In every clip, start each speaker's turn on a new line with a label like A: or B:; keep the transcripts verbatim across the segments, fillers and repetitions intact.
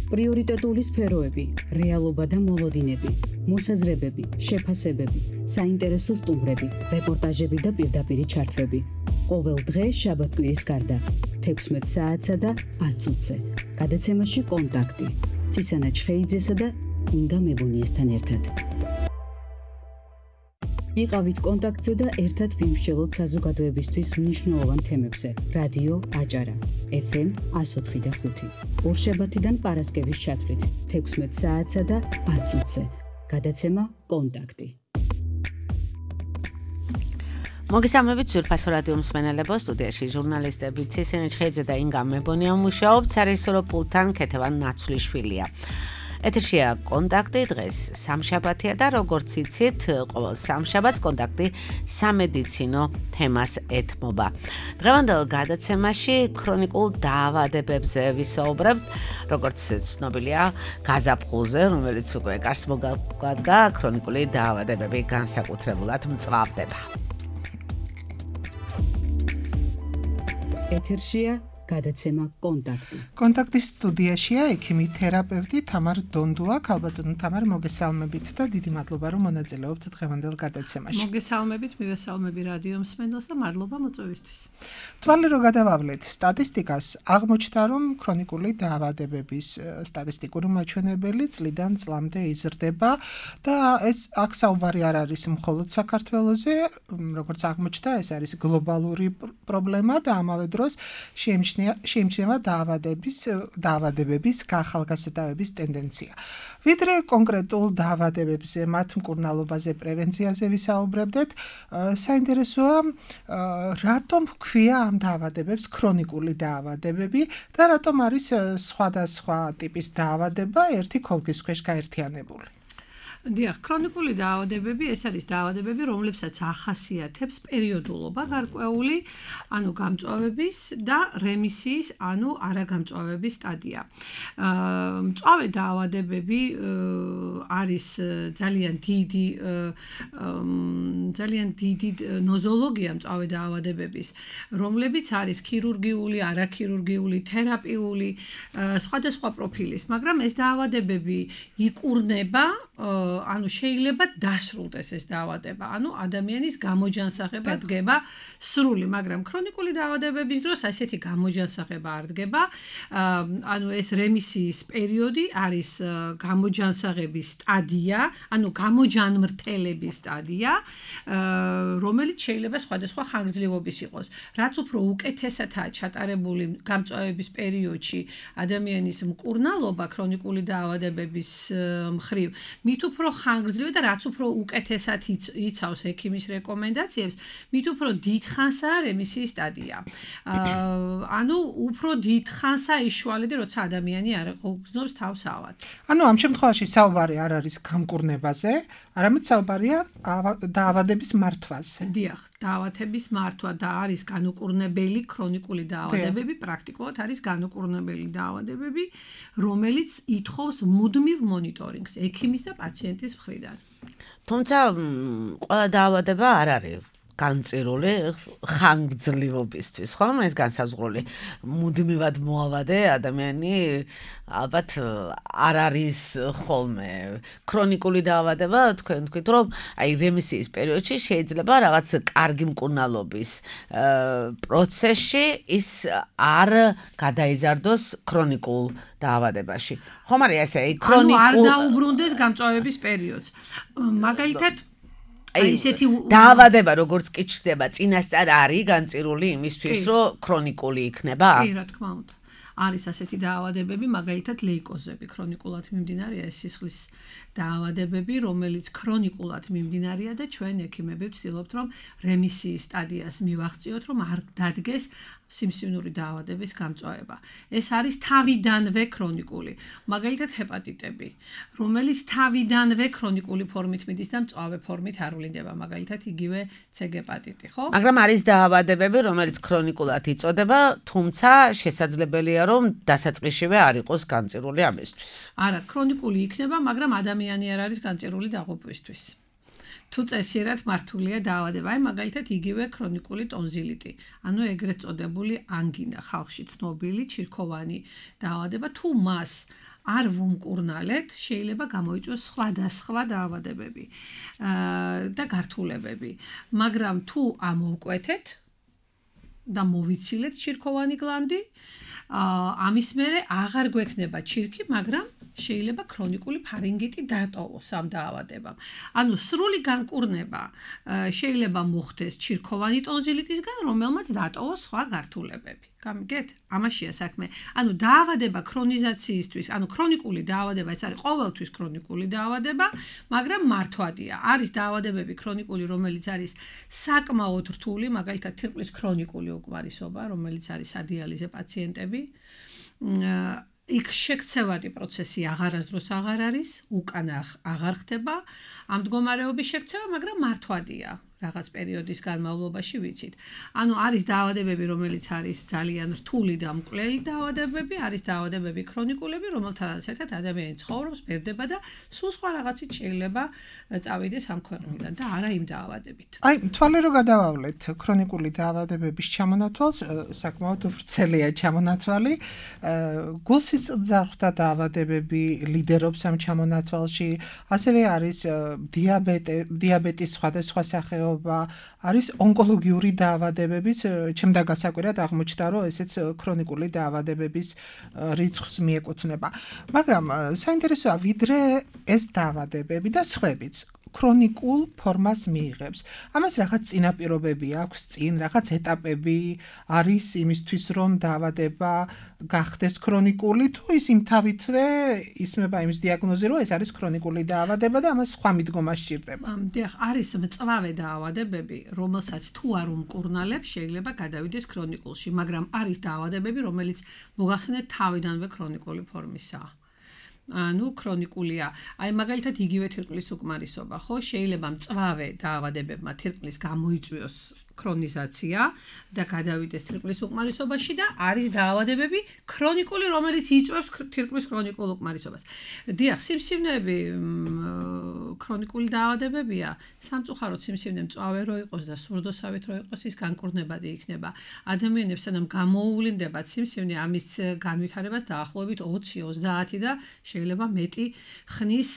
A: პრიორიტეტული სფეროები, რეალობა და მოლოდინები, მოსაზრებები, შეფასებები, საინტერესო სტუმრები, რეპორტაჟები და პირდაპირი ჩართვები. ყოველ დღე შაბათ-კვირის გარდა, თექვსმეტ საათსა და ათ წუთზე. გადაცემაში კონტაქტი. ცისანა ჩხეიძესა და ინგა მებუნიესთან ერთად. იყავით კონტაქტზე და ერთად ვიმსჯელოთ საზოგადოებისთვის მნიშვნელოვან თემებზე. რადიო აჭარა, ეფ ემ εκατო ოთხი და ხუთი. ორშაბათიდან პარასკევის ჩათვლით, თექვსმეტ საათსა და ათ წუთზე. გადაცემა კონტაქტი.
B: მოგესალმებით ძვირფასო რადიო მსმენელებო, სტუდიაში ჟურნალისტები ცისანა ჩხეიძე და ინგა მებონია მუშაობთ, სარეჟისორო პულტთან ქეთევან ნაცვლიშვილია. ეთერშია კონტაქტი, დღეს სამშაბათია და როგორც იცით, ყოველ სამშაბათს კონტაქტი სამედიცინო თემას ეთმობა. დღევანდელ გადაცემაში ქრონიკულ დაავადებებზე ვისაუბრებთ, როგორც ცნობილია, გაზაფხულზე, რომელიც უკვე კარს მოგადგა, ქრონიკული დაავადებები განსაკუთრებულად მწვავდება.
A: ეთერშია გადაცემა კონტაქტი.
C: კონტაქტის სტუდიაშია ექიმი თერაპევტი თამარ დონდუა. ქალბატონო თამარ, მოგესალმებით და დიდი მადლობა რომ მონაწილეობთ დღევანდელ გადაცემაში.
D: მოგესალმებით, მივესალმები რადიო მსმენელს და მადლობა მოწვევისთვის.
C: თვალე რო გადავავლეთ სტატისტიკას, აღმოჩნდა რომ ქრონიკული დაავადებების სტატისტიკური მაჩვენებელი წლიდან წლამდე იზრდება და ეს აქ საუბარი არ არის მხოლოდ საქართველოზე, როგორც აღმოჩნდა, ეს არის გლობალური პრობლემა და ამავე დროს შეიმჩნევა შეიმჩნევა დაავადების დაავადებების გახალგაზრდების ტენდენცია. ვიდრე კონკრეტულ დაავადებებზე, მათ მკურნალობაზე, პრევენციაზე ვისაუბრებდეთ, საინტერესოა რატომ ჰქვია ამ დაავადებებს ქრონიკული დაავადებები და რატომ არის სხვადასხვა ტიპის დაავადება ერთი ქოლგის ქვეშ გაერთიანებული.
D: დიახ, ქრონიკული დაავადებები ეს არის დაავადებები, რომლებსაც ახასიათებს პერიოდულობა გარკვეული, ანუ გამწვავების და რემისიის, ანუ არაგამწვავების სტადია. მწვავე დაავადებები არის ძალიან დიდი ძალიან დიდი ნოზოლოგია მწვავე დაავადებების, რომლებიც არის ქირურგიული, არაქირურგიული, თერაპიული, სხვადასხვა პროფილის, მაგრამ ეს დაავადებები იკურნება ანუ შეიძლება დასრულდეს ეს დაავადება, ანუ ადამიანის გამოჯანსაღება დგება სრული, მაგრამ ქრონიკული დაავადებების დროს ასეთი გამოჯანსაღება არ დგება, ანუ ეს რემისიის პერიოდი არის გამოჯანსაღების სტადია, ანუ გამოჯანმრთელების სტადია, რომელიც შეიძლება სხვადასხვა ხანგრძლივობის იყოს. რაც უფრო უკეთესადაა ჩატარებული გამწვავების პერიოდში ადამიანის მკურნალობა ქრონიკული დაავადებების მხრივ, მით უფრო ხანგრძლივი და რაც უფრო უკეთესად იცავს ექიმის რეკომენდაციებს, მით უფრო დიდხანსაა რემისიის სტადია. ანუ უფრო დიდხანსაა იშვალედი, როცა ადამიანი არ გრძნობს თავს ავად.
C: ანუ ამ შემთხვევაში საუბარი არ არის გამკურნებაზე, არამედ საუბარია დაავადების მართვაზე.
D: დიახ, დაავადების მართვა და არის განუკურნებელი ქრონიკული დაავადებები, პრაქტიკულად არის განუკურნებელი დაავადებები, რომელიც ითხოვს მუდმივ მონიტორინგს ექიმის და პაციენტის მხრიდან.
B: თუმცა ყველა დაავადება არ არის განწირული ხანგრძლივობისთვის, ხო? ეს განსაზღვრული მუდმივად მოავადე ადამიანი ალბათ არ არის ხოლმე. ქრონიკული დაავადება, თქვენ თქვით, რომ აი რემისიის პერიოდში შეიძლება რაღაც კარგი მკურნალობის პროცესში ის არ გადაიზარდოს ქრონიკულ დაავადებაში. ხომ არის ესე, ქრონიკულ
D: ანუ არ დაუბრუნდეს გამწვავების პერიოდს. მაგალითად აი ესეთი
B: დაავადება როგორც კი ჩნდება, წინასწარ არის განწირული იმისთვის, რომ ქრონიკული იქნება?
D: კი, რა თქმა უნდა. არის ასეთი დაავადებები, მაგალითად ლეიკოზები, ქრონიკულად მიმდინარეა ეს სისხლის დაავადებები, რომელიც ქრონიკულად მიმდინარეა და ჩვენ ექიმები ვცდილობთ, რომ რემისიის სტადიას მივაღწიოთ, რომ არ დადგეს სიმსივნური დაავადების გამწვავება. ეს არის თავიდანვე ქრონიკული. მაგალითად ჰეპატიტები, რომელიც თავიდანვე ქრონიკული ფორმით მიდის და მწვავე ფორმით არ ვლინდება, მაგალითად იგივე C ჰეპატიტი, ხო?
B: მაგრამ არის დაავადებები, რომელიც ქრონიკულად იწოდება, თუმცა შესაძლებელია, რომ დასაწყისშივე არ იყოს განწირული ამისთვის.
D: არა, ქრონიკული იქნება, მაგრამ ადამიანი არ არის განწირული დაღუპვისთვის. თუ წესიერად მართულია დაავადება, აი მაგალითად იგივე ქრონიკული ტონზილიტი, ანუ ეგრეთ წოდებული ანგინა, ხალხში ცნობილი ჩირქოვანი დაავადება, თუ მას არ ვუმკურნალეთ, შეიძლება გამოიწვიოს სხვადასხვა დაავადებები და გართულებები. მაგრამ თუ ამოვკვეთეთ და მოვიცილეთ ჩირქოვანი გლანდი, ამის მერე აღარ გვექნება ჩირქი, მაგრამ შეიძლება ქრონიკული ფარინგიტი დატოვოს ამ დაავადებამ. ანუ სრული განკურნება შეიძლება მოხდეს ჩირქოვანი ტონზილიტისგან, რომელმაც დატოვოს სხვა გართულებები. გამიგეთ? ამაშია საქმე. ანუ დაავადება ქრონიზაციისთვის, ანუ ქრონიკული დაავადება, ეს არის ყოველთვის ქრონიკული დაავადება, მაგრამ მართვადია. არის დაავადებები ქრონიკული, რომელიც არის საკმაოდ რთული, მაგალითად თირკმლის ქრონიკული უკმარისობა, რომელიც არის სადიალიზე პაციენტები. იქ შექცევადი პროცესი აღარასდროს აღარ არის, უკან აღარ ხდება ამ მდგომარეობის შექცევა, მაგრამ მართვადია. რაღაც პერიოდის განმავლობაში ვიცით. ანუ არის დაავადებები, რომელიც არის ძალიან რთული და მკვლელი დაავადებები, არის დაავადებები ქრონიკულები, რომელთანაც ერთად ადამიანი ცხოვრობს, ბერდება და სულ სხვა რაღაცით შეიძლება წავიდეს ამ ქვეყნიდან და არა იმ დაავადებით.
C: აი, თვალე რო გადავავლეთ ქრონიკული დაავადებების ჩამონათვალს, საკმაოდ ვრცელია ჩამონათვალი. გულსისხლძარღვთა დაავადებები ლიდერობს ამ ჩამონათვალში, ასევე არის დიაბეტი, დიაბეტის სხვადასხვა სახეობა არის ონკოლოგიური დაავადებებიც, ჩემდა გასაკვირად აღმოჩნდა, რომ ესეც ქრონიკული დაავადებების რიცხვს მიეკუთვნება. მაგრამ საინტერესოა, ვიდრე ეს დაავადებები და სხვებიც ქრონიკულ ფორმას მიიღებს. ამას რაღაც წინაპირობები აქვს, წინ რაღაც ეტაპები არის იმისთვის, რომ დაავადება გახდეს ქრონიკული, თუ ის იმთავითვე ისმება იმის დიაგნოზი, რომ ეს არის ქრონიკული დაავადება და ამას სხვა მიდგომა სჭირდება.
D: დიახ, არის მწვავე დაავადებები, რომელსაც თუ არ უმკურნალებ, შეიძლება გადავიდეს ქრონიკულში, მაგრამ არის დაავადებები, რომელიც მოგახსენეთ თავიდანვე ქრონიკული ფორმისაა. ანუ ქრონიკულია. აი მაგალითად იგივე თირკმლის უკმარისობა, ხო? შეიძლება მწვავე დაავადებებმა თირკმლის გამოიწვიოს ქრონიზაცია და გადავიდეს თირკმლის უკმარისობაში და არის დაავადებები ქრონიკული, რომელიც იწვევს თირკმლის ქრონიკულ უკმარისობას. დიახ, სიმსივნეები ქრონიკული დაავადებებია, სამწუხაროდ სიმსივნე მწვავე რო იყოს და სურდოსავით რო იყოს, ის განკურნებადი იქნება. ადამიანებს სანამ გამოუვლინდებათ სიმსივნე, ამის განვითარებას დაახლოებით ოცი ოცდაათი და შეიძლება მეტი ხნის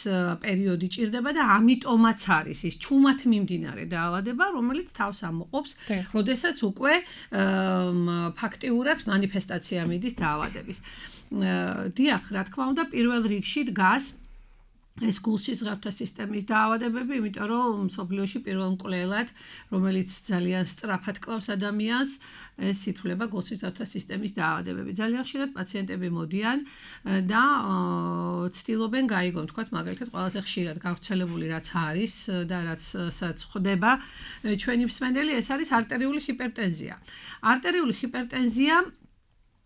D: პერიოდი ჭირდება და ამიტომაც არის ის ჩუმად მიმდინარე დაავადება, რომელიც თავს ამოყობს, როდესაც უკვე ფაქტიურად მანიფესტაცია მიდის დაავადების. დიახ, რა თქმა უნდა, პირველ რიგში დგას ეს გულსისხლძარღვთა სისტემის დაავადებები, იმიტომ რომ მსოფლიოში პირველ მკვლელად, რომელიც ძალიან სწრაფად კლავს ადამიანს, ეს ითვლება გულსისხლძარღვთა სისტემის დაავადებები. ძალიან ხშირად პაციენტები მოდიან და ცდილობენ გაიგონ, თქვათ, მაგალითად, ყველაზე ხშირად გავრცელებული რაც არის და რაცაც ხდება ჩვენი მსმენელი, ეს არის არტერიული ჰიპერტენზია. არტერიული ჰიპერტენზია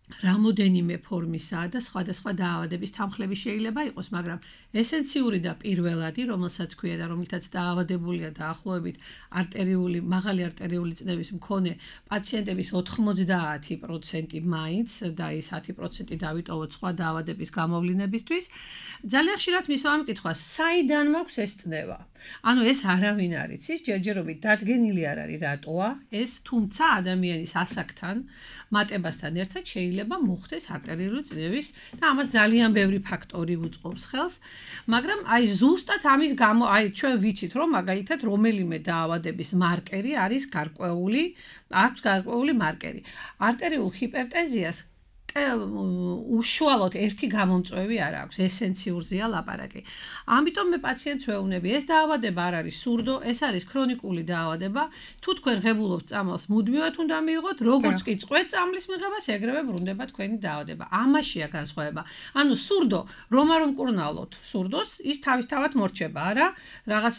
D: რამოდენიმე ფორმისაა და სხვადასხვა დაავადების თანხლები შეიძლება იყოს, მაგრამ ესენციური და პირველადი, რომელსაც ქვია და რომელთაც დაავადებულია დაახლოებით არტერიული, მაღალი არტერიული წნევის მქონე პაციენტების ოცდაათი პროცენტი მაინც და ის ათი პროცენტი დავიტოვოთ სხვა დაავადების გამოვლინებისთვის, ძალიან ხშირად მისვა მკითხვა, საიდან მაქვს ეს წნევა? ანუ ეს არავინ არ იცის, ჯერჯერობით დადგენილი არ არის რატოა ეს, თუმცა ადამიანის ასაკთან, მატებასთან ერთად შეიძლება მოხდეს არტერიული წნევის და ამას ძალიან ბევრი ფაქტორი უწყობს ხელს, მაგრამ აი ზუსტად ამის გამო, აი ჩვენ ვიცით, რომ მაგალითად რომელიმე დაავადების მარკერი არის გარკვეული, აქვს გარკვეული მარკერი. არტერიულ ჰიპერტენზიას უშუალოდ ერთი გამომწვევი არ აქვს, ესენციურზეა ლაპარაკი. ამიტომ მე პაციენტს ვეუბნები, ეს დაავადება არ არის სურდო, ეს არის ქრონიკული დაავადება. თუ თქვენ ღებულობთ წამალს, მუდმივად უნდა მიიღოთ, როგორც კი წყვეთ წამლის მიღებას, ეგრევე ბრუნდება თქვენი დაავადება. ამაშია განსხვავება. ანუ სურდო, რომ არ უმკურნალოთ სურდოს, ის თავისთავად მორჩება, არა, რაღაც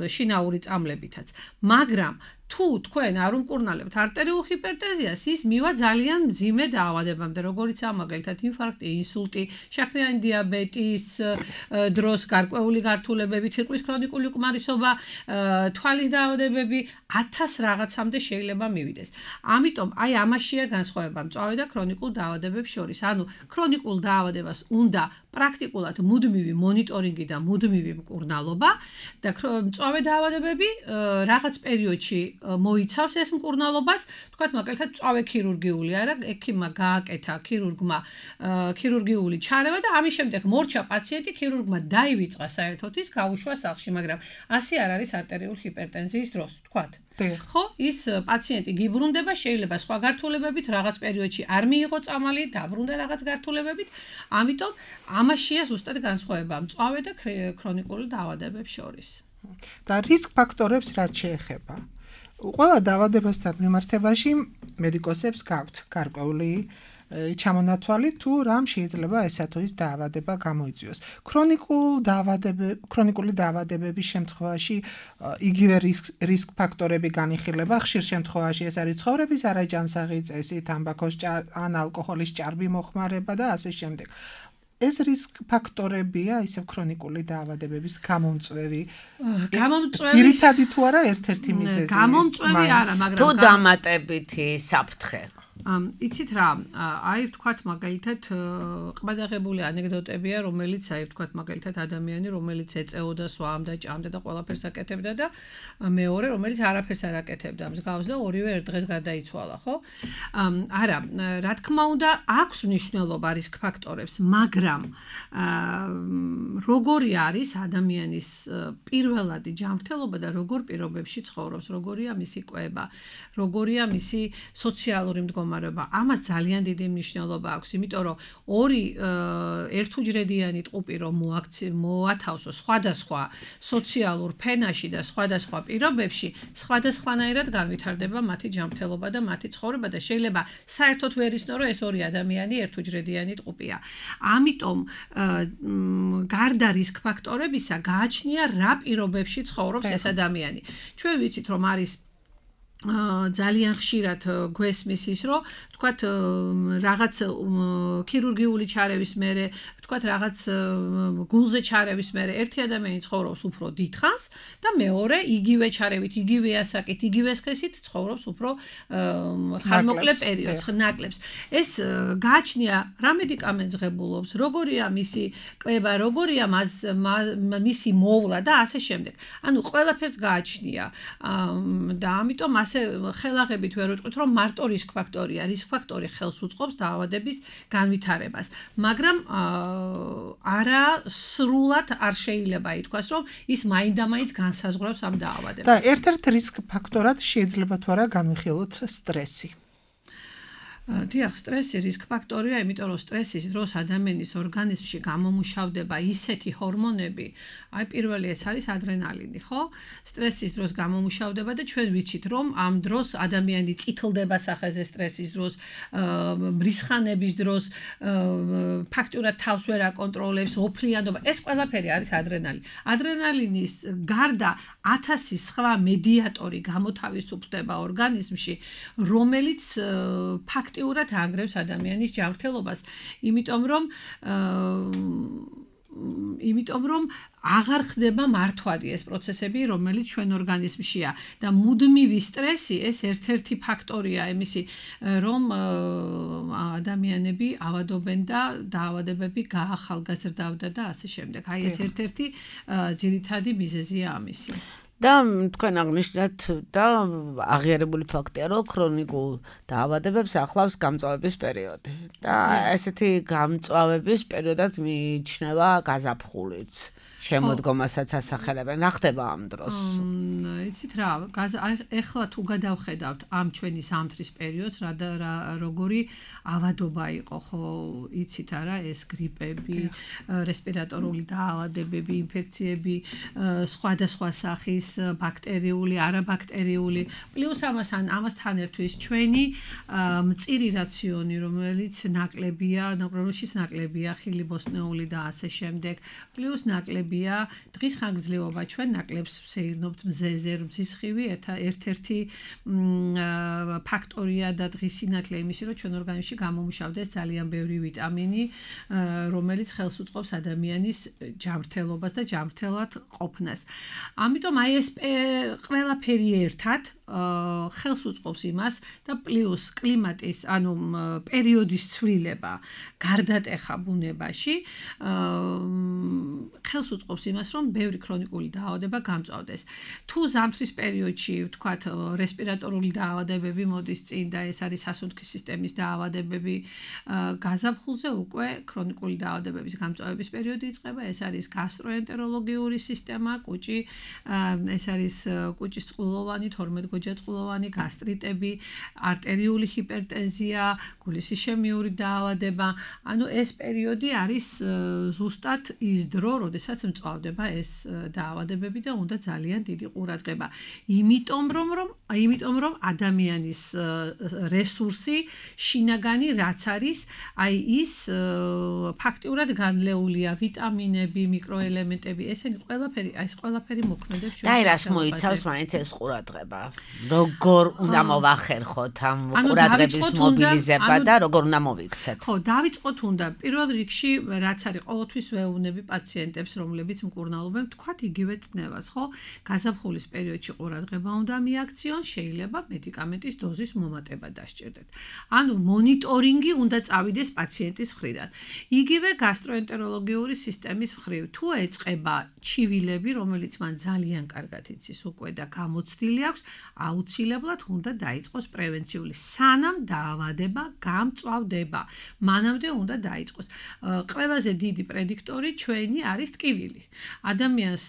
D: შინაური წამლებითაც. მაგრამ თუ თქვენ არ უმკურნალებთ არტერიულ ჰიპერტენზიას, ის მივა ძალიან მძიმე დაავადებამდე, როგორიცაა მაგალითად ინფარქტი, ინსულტი, შაქრიანი დიაბეტის დროს გარკვეული გართულებები, თირკმლის ქრონიკული უკმარისობა, თვალის დაავადებები, ათას რაღაცამდე შეიძლება მივიდეს. ამიტომ აი ამაშია განსხვავება მწვავე და ქრონიკულ დაავადებებს შორის. ანუ ქრონიკულ დაავადებას უნდა პრაქტიკულად მუდმივი მონიტორინგი და მუდმივი მკურნალობა და მწვავე დაავადებები რაღაც პერიოდში მოიცავს ეს მკურნალობას, თქვათ მაგალითად მწვავე ქირურგიული არა, ექიმმა გააკეთა ქირურგმა ქირურგიული ჩარევა და ამის შემდეგ მორჩა პაციენტი, ქირურგმა დაივიწყა საერთოდ ის გაუშვა სახლში, მაგრამ ასე არ არის არტერიული ჰიპერტენზიის დროს, თქვათ. ხო, ის პაციენტი გიბრუნდება, შეიძლება სხვა გართულებებით, რაღაც პერიოდში არ მიიღო წამალი, დაბრუნდა რაღაც გართულებებით, ამიტომ ამაშია ზუსტად განსხვავება მწვავე და ქრონიკული დაავადებებს შორის.
C: და რისკ ფაქტორებს რაც შეეხება. ყველა დაავადებასთან მიმართებაში მედიკოსებს გაქვთ გარკვეული ჩამონათვალი თუ რამ შეიძლება ესა თუ ის დაავადება გამოიწვიოს. ქრონიკულ დაავადებები, ქრონიკული დაავადებების შემთხვევაში იგივე რისკ ფაქტორები განიხილება. ხშირ შემთხვევაში ეს არის ცხოვრების არაჯანსაღი წესი, თამბაქოს ან ალკოჰოლის ჭარბი მოხმარება და ასე შემდეგ. ეს რისკ ფაქტორებია ისევ ქრონიკული დაავადებების გამომწვევი.
D: გამომწვევი
C: ძირითადი თუ არა ერთ-ერთი მიზეზი.
D: გამომწვევი არა, მაგრამ
B: თუ დამატებითი საფრთხე.
D: იცით რა, აი ვთქვათ მაგალითად ყბადაღებული ანეკდოტებია, რომელიც აი ვთქვათ მაგალითად ადამიანი, რომელიც ეწეოდა, სვამდა, ჭამდა და ყველაფერს აკეთებდა და მეორე, რომელიც არაფერს არ აკეთებდა, მსგავს და ორივე ერთ დღეს გარდაიცვალა, ხო? არა, რა თქმა უნდა, აქვს მნიშვნელობა რისკ ფაქტორებს, მაგრამ როგორი არის ადამიანის პირველადი ჯანმრთელობა და როგორ პირობებში ცხოვრობს, როგორია მისი კვება, როგორია მისი სოციალური მდგომარეობა. ამას ძალიან დიდი მნიშვნელობა აქვს, იმიტომ რომ ორი ერთუჯრედიანი ტყუპი რომ მოათავსო სხვადასხვა სოციალურ ფენაში და სხვადასხვა პირობებში, სხვადასხვანაირად განვითარდება მათი ჯანმრთელობა და მათი ცხოვრება და შეიძლება საერთოდ ვერ იცნო, რომ ეს ორი ადამიანი ერთუჯრედიანი ტყუპია. ამიტომ გარდა რისკ ფაქტორებისა გააჩნია რა პირობებში ცხოვრობს ეს ადამიანი. ჩვენ ვიცით რომ არის ძალიან ხშირად გვესმის ის, რომ თქვათ რაღაც ქირურგიული ჩარევის მერე, თქვათ რაღაც გულზე ჩარევის მერე ერთი ადამიანი ცხოვრობს უფრო დიდხანს და მეორე იგივე ჩარევით, იგივე ასაკით, იგივე სქესით ცხოვრობს უფრო ხანმოკლე პერიოდს, ნაკლებს. ეს გააჩნია რა მედიკამენტს ღებულობს, როგორია მისი კვება, როგორია მისი მოვლა და ასე შემდეგ. ანუ ყველაფერს გააჩნია და ამიტომ ასე ხელაღებით ვერ ვიტყვით, რომ მარტო რისკ ფაქტორია. რისკ ფაქტორი ხელს უწყობს დაავადების განვითარებას. მაგრამ არა სრულად არ შეიძლება ითქვას, რომ ის მაინდამაინც განსაზღვრავს ამ დაავადებას.
C: და ერთ-ერთ რისკ ფაქტორად შეიძლება თუ არა განვიხილოთ სტრესი.
D: დიახ, სტრესი რისკ ფაქტორია, იმიტომ რომ სტრესის დროს ადამიანის ორგანიზმში გამომუშავდება ისეთი ჰორმონები, აი პირველი ეს არის ადრენალინი, ხო? სტრესის დროს გამომუშავდება და ჩვენ ვიცით, რომ ამ დროს ადამიანი წითლდება სახეზე სტრესის დროს, მრისხანების დროს, ფაქტურად თავს ვერ აკონტროლებს, ოფლიანობა, ეს ყველაფერი არის ადრენალინი. ადრენალინის გარდა ათასი სხვა მედიატორი გამოთავისუფლდება ორგანიზმში, რომელიც ფაქტ ურად ანგრევს ადამიანის ჯანმრთელობას, იმიტომ რომ იმიტომ რომ აღარ ხდება მართვადი ეს პროცესები, რომელიც ჩვენ ორგანიზმშია და მუდმივი სტრესი ეს ერთ-ერთი ფაქტორია იმისი, რომ ადამიანები ავადობენ და დაავადებები გაახალგაზრდავდა და ასე შემდეგ. აი ეს ერთ-ერთი ძირითადი მიზეზია ამისი.
B: და თქვენ აღნიშნეთ და აღიარებული ფაქტია, რომ ქრონიკულ დაავადებებს ახლავს გამწვავების პერიოდი. და ესეთი გამწვავების პერიოდად მიიჩნევა გაზაფხულიც. შემოდგომასაც ასახელებენ. რა ხდება ამ დროს?
D: იცით რა, ეხლა თუ გადავხედავთ ამ ჩვენი ზამთრის პერიოდს, რა როგორი ავადობა იყო, ხო, იცით არა, ეს გრიპები, რესპირატორული დაავადებები, ინფექციები, სხვადასხვა სახის ბაქტერიული, არაბაქტერიული, პლუს ამასთან ამასთან ერთvis ჩვენი მწირი რაციონი, რომელიც ნაკლებია, რომელშიც ნაკლებია ხილი-ბოსტნეული და ასე შემდეგ, პლუს ნაკლები დღის ხანგრძლივობა ჩვენ ნაკლებს ვსეირნობთ მზეზე, მზისხივი ერთ-ერთი ფაქტორია და დღის სინათლე იმისი, რომ ჩვენ ორგანიზმში გამომუშავდეს ძალიან ბევრი ვიტამინი, რომელიც ხელს უწყობს ადამიანის ჯანმრთელობას და ჯანმრთელად ყოფნას. ამიტომ აი ეს ყველაფერი ერთად ხელს უწყობს იმას და პლუს კლიმატის, ანუ პერიოდის ცვლილება გარდატეხა ბუნებაში ხელს უწყობს იმას, რომ ბევრი ქრონიკული დაავადება გამწვავდეს. თუ ზამთრის პერიოდში, ვთქვათ, რესპირატორული დაავადებები მოდის წინ და ეს არის სასუნთქის სისტემის დაავადებები, გაზაფხულზე უკვე ქრონიკული დაავადებების გამწვავების პერიოდი იწყება, ეს არის გასტროენტეროლოგიური სისტემა, კუჭი, ეს არის კუჭის წყლოვანი, თორმეტგოჯაწყლოვანი, გასტრიტები, არტერიული ჰიპერტენზია, გულის ისემიური დაავადება. ანუ ეს პერიოდი არის ზუსტად ის დრო, როდესაც მწვავდება ეს დაავადებები და უნდა ძალიან დიდი ყურადღება. იმიტომ რომ რომ იმიტომ რომ ადამიანის რესურსი შინაგანი რაც არის, აი ის ფაქტიურად განლეულია, ვიტამინები, მიკროელემენტები, ესენი ყველაფერი, აი ეს ყველაფერი მოქმედებს ჩვენ.
B: და რას მოიცავს მაინც ეს ყურადღება? როგორ უნდა მოვახერხოთ ამ ყურადღების მობილიზება და როგორ უნდა მოვიქცეთ?
D: ხო, დავიწყოთ უნდა პირველ რიგში რაც არის ყოველთვის ვეუბნები პაციენტებს, რომლებიც მკურნალობენ, თქვათ იგივე წნევას, ხო? გაზაფხულის პერიოდში ყურადღება უნდა მიაქციონ, შეიძლება მედიკამენტის დოზის მომატება დასჭირდეთ. ანუ მონიტორინგი უნდა წავიდეს პაციენტის მხრიდან. იგივე გასტროენტეროლოგიური სისტემის მხრივ, თუ ეწყება ჩივილები, რომელიც მან ძალიან კარგად იცის უკვე და გამოცდილი აქვს, აუცილებლად უნდა დაიწყოს პრევენციული, სანამ დაავადება გამწვავდება. მანამდე უნდა დაიწყოს. ყველაზე დიდი პრედიქტორი ჩვენი არის ტკივილი. ადამიანს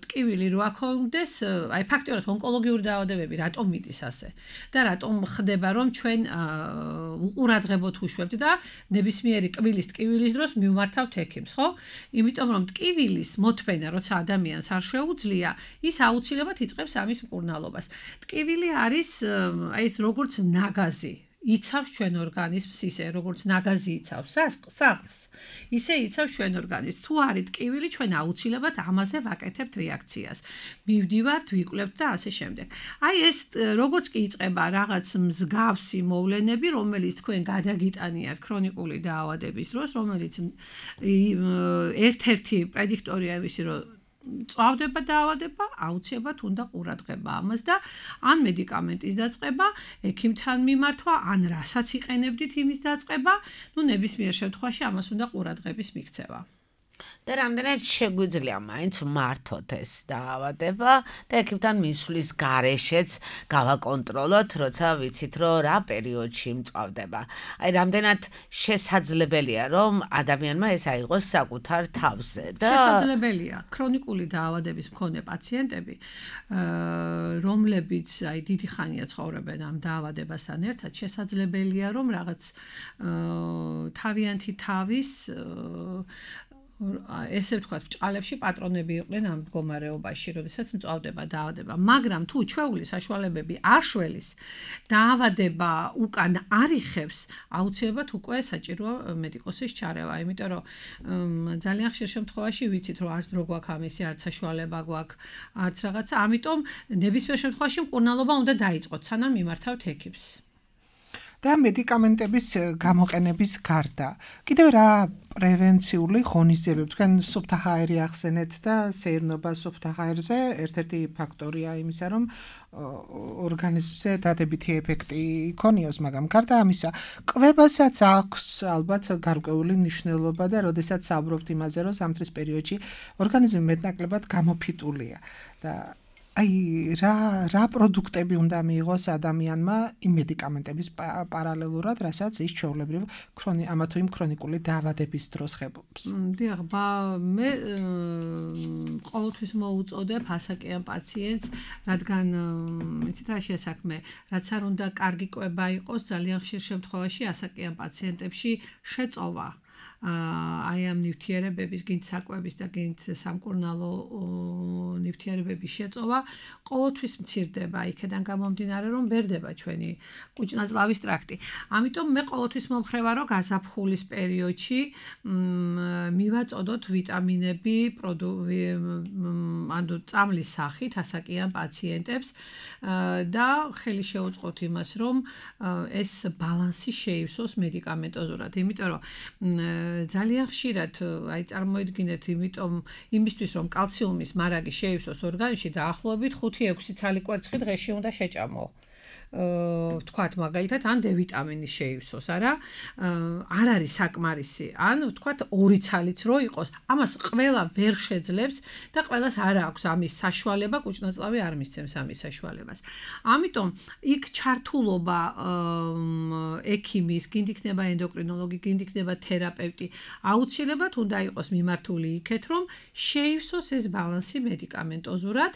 D: ტკივილი რო აქონდეს, აი ფაქტიურად ონკოლოგიური დაავადებები რატომ მიდის ასე? და რატომ ხდება რომ ჩვენ უყურადღებოთ უშვებთ და ნებისმიერი კბილის ტკივილის დროს მივმართავთ ექიმს, ხო? იმიტომ რომ ტკივილის მოთმენა, როცა ადამიანს არ შეუძლია, ის აუცილებლად იწყებს ამის მკურნალობას. ტკივილი არის აი როგორც ნაგაზი. იცავს ჩვენ ორგანიზმს ისე, როგორც ნაგაზი იცავს სახლს, ისე იცავს ჩვენ ორგანიზმს. თუ არის ტკივილი, ჩვენ აუცილებლად ამაზე ვაკეთებთ რეაქციას. მივდივართ, ვიკვლევთ და ასე შემდეგ. აი ეს როგორც კი იწყება რაღაც მსგავსი მოვლენები, რომელიც თქვენ გადაგიტანიათ ქრონიკული დაავადების დროს, რომელიც ერთ-ერთი პრედიქტორია იმისი, რომ წავდება დაავადება, აუცილებლად უნდა ყურადღება ამას და ან მედიკამენტის დაწყება, ექიმთან მიმართვა, ან რასაც იყენებდით იმის დაწყება, ну ნებისმიერ შემთხვევაში ამას უნდა ყურადღების მიქცევა.
B: და რამდენად შეგვიძლია მაინც მართოთ ეს დაავადება და ექიმთან მისვლის გარეშეც გავაკონტროლოთ, როცა ვიცით, რომ რა პერიოდში მწვავდება. აი რამდენად შესაძლებელია, რომ ადამიანმა ეს აიღოს საკუთარ თავზე და
D: შესაძლებელია. ქრონიკული დაავადების მქონე პაციენტები, რომლებიც აი დიდი ხანია ცხოვრობენ ამ დაავადებასთან ერთად, შესაძლებელია, რომ რაღაც თავიანთი თავის ესე ვთქვათ, ჭყალებში პატრონები იყვნენ ამ მდგომარეობაში, როდესაც მწვავდება დაავადება. მაგრამ თუ ჩვეული საშუალებები არ შველის, დაავადება უკან არიხებს, აუცილებლად უკვე საჭიროა მედიკოსის ჩარევა, იმიტომ რომ ძალიან ხშირ შემთხვევაში ვიცით, რომ არც დრო გვაქვს ამისი, არც საშუალება გვაქვს, არც რაღაცა, ამიტომ ნებისმიერ შემთხვევაში მკურნალობა უნდა დაიწყოთ, სანამ მიმართავთ ექიმს.
C: და მედიკამენტების გამოყენების გარდა კიდევ რა პრევენციული ღონისძიებები თქვენ სუფთა ჰაერი ახსენეთ და სეირნობა სუფთა ჰაერზე ერთ-ერთი ფაქტორია იმისა, რომ ორგანიზმზე დადებითი ეფექტი იქონიოს, მაგრამ გარდა ამისა, კვებასაც აქვს ალბათ გარკვეული მნიშვნელობა და როდესაც საუბრობთ იმაზე, რომ ზამთრის პერიოდში ორგანიზმი მეტნაკლებად გამოფიტულია და აი რა რა პროდუქტები უნდა მიიღოს ადამიანმა იმ მედიკამენტების პარალელურად, რასაც ის ჩვეულებრივ ქრონი ამა თუ იმ ქრონიკული დაავადების დროს ხებობს.
D: დიახ, მე ყოველთვის მოუწოდებ ასაკიან პაციენტს, რადგან იცით რა შესაქმე, რაც არ უნდა კარგი კვება იყოს, ძალიან ხშირ შემთხვევაში ასაკიან პაციენტებში შეწოვა. აი ამ ნივთიერებების, გინდ საკვების და გინდ სამკურნალო ნივთიერებების შეწოვა ყოველთვის მცირდება, იქედან გამომდინარე, რომ ბერდება ჩვენი კუჭნაწლავის ტრაქტი. ამიტომ მე ყოველთვის მომხრევა, რომ გაზაფხულის პერიოდში მივაწოდოთ ვიტამინები, ანუ წამლის სახით ასაკიან პაციენტებს და ხელი შეუწყოთ იმას, რომ ეს ბალანსი შეივსოს მედიკამენტოზურად, იმიტომ რომ ძალიან ხშირად აი წარმოიდგინეთ, იმიტომ იმისთვის რომ კალციუმის მარაგი შეივსოს ორგანიზმში დაახლოებით ხუთი ექვსი ცალი კვერცხი დღეში უნდა შეჭამო. ვთქვათ მაგალითად ან დე ვიტამინი შეივსოს, არა? არ არის საკმარისი. ან ვთქვათ ორი ცალიც რო იყოს, ამას ყველა ვერ შეძლებს და ყველას არ აქვს ამის საშუალება, კუჭნაწლავი არ მისცემს ამის საშუალებას. ამიტომ იქ ჩართულობა ექიმის, გინდ იქნება ენდოკრინოლოგი, გინდ იქნება თერაპევტი, აუცილებლად უნდა იყოს მიმართული იქეთ, რომ შეივსოს ეს ბალანსი მედიკამენტოზურად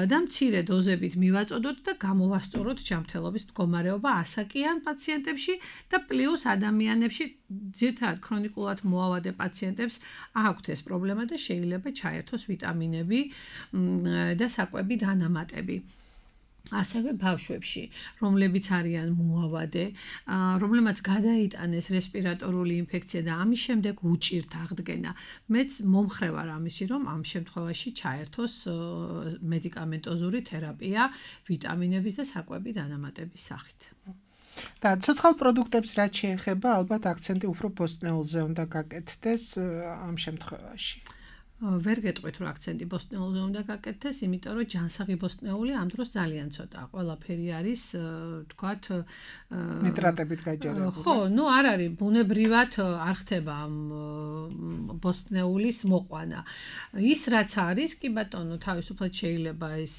D: და მცირე დოზებით მივაწოდოთ და გამოვასწოროთ ჯანმრთელობის მდგომარეობა ასაკიან პაციენტებში და პლუს ადამიანებში, ძირითადად ქრონიკულად მოავადე პაციენტებს აქვთ ეს პრობლემა და შეიძლება ჩაერთოს ვიტამინები და საკვები დანამატები. ასევე ბავშვებში, რომლებიც არიან მოავადე, რომლებმაც გადაიტანეს რესპირატორული ინფექცია და ამის შემდეგ უჭირთ აღდგენა. მეც მომხრე ვარ ამისი, რომ ამ შემთხვევაში ჩაერთოს მედიკამენტოზური თერაპია ვიტამინების და საკვები დანამატების სახით.
C: და ცოცხალ პროდუქტებს რაც შეეხება, ალბათ აქცენტი უფრო ბოსტნეულზე უნდა გაკეთდეს ამ შემთხვევაში.
D: ვერ გეტყვით რომ აქცენტი ბოსტნეულზე უნდა გაკეთდეს, იმიტომ რომ ჯანსაღი ბოსტნეული ამ დროს ძალიან ცოტა. ყველაფერი არის, ვთქვათ,
C: ნიტრატებით გაჯერებული.
D: ხო, ნუ არ არის, ბუნებრივად არ ხდება ამ ბოსტნეულის მოყვანა. ის რაც არის, კი ბატონო, თავისუფლად შეიძლება ეს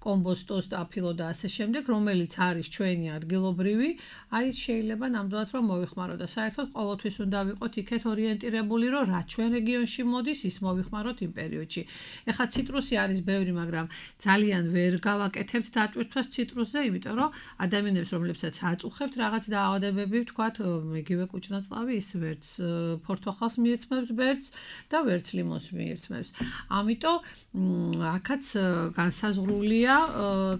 D: კომბოსტოს და აფილო და ასე შემდეგ, რომელიც არის ჩვენი ადგილობრივი, აი შეიძლება ნამდვილად რომ მოвихმაროთ და საერთოდ ყოველთვის უნდა ვიყოთ იქეთ ორიენტირებული, რომ რა ჩვენ რეგიონში მოდის, ის მოვიხმაროთ იმ პერიოდში. ეხლა ციტრუსი არის ბევრი, მაგრამ ძალიან ვერ გავაკეთებთ დატვირთვას ციტრუსზე, იმიტომ რომ ადამიანებს, რომლებსაც აწუხებთ რაღაც დაავადებები, ვთქვათ, იგივე კუჭნაწლავი, ის ვერც ფორთოხალს მიირთმევს ბერწს და ვერც ლიმონს მიირთმევს. ამიტომ აქაც განსაზღვრულია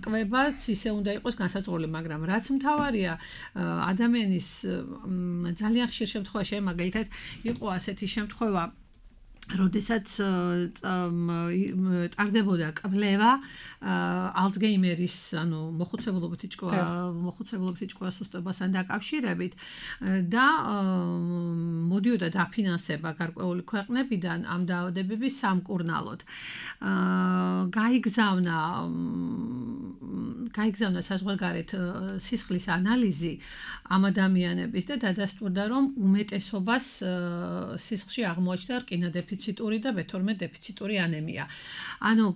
D: კვებაც, ისე უნდა იყოს განსაზღვრული, მაგრამ რაც მთავარია, ადამიანის ძალიან ხშირ შემთხვევაში, მაგალითად, იყო ასეთი შემთხვევა, როდესაც ტარდებოდა კვლევა ალცგეიმერის, ანუ მოხუცებულობითი ჭკუა, მოხუცებულობითი ჭკუას სუსტობასთან დაკავშირებით და მოდიოდა დაფინანსება გარკვეული ქვეყნებიდან ამ დაავადებების სამკურნალოდ. გაიგზავნა გაიგზავნა საზღვარგარეთ სისხლის ანალიზი ამ ადამიანების და დადასტურდა, რომ უმეტესობას სისხლში აღმოაჩნდა რკინა-დეფიციტური და ბე თორმეტ დეფიციტური ანემია. ანუ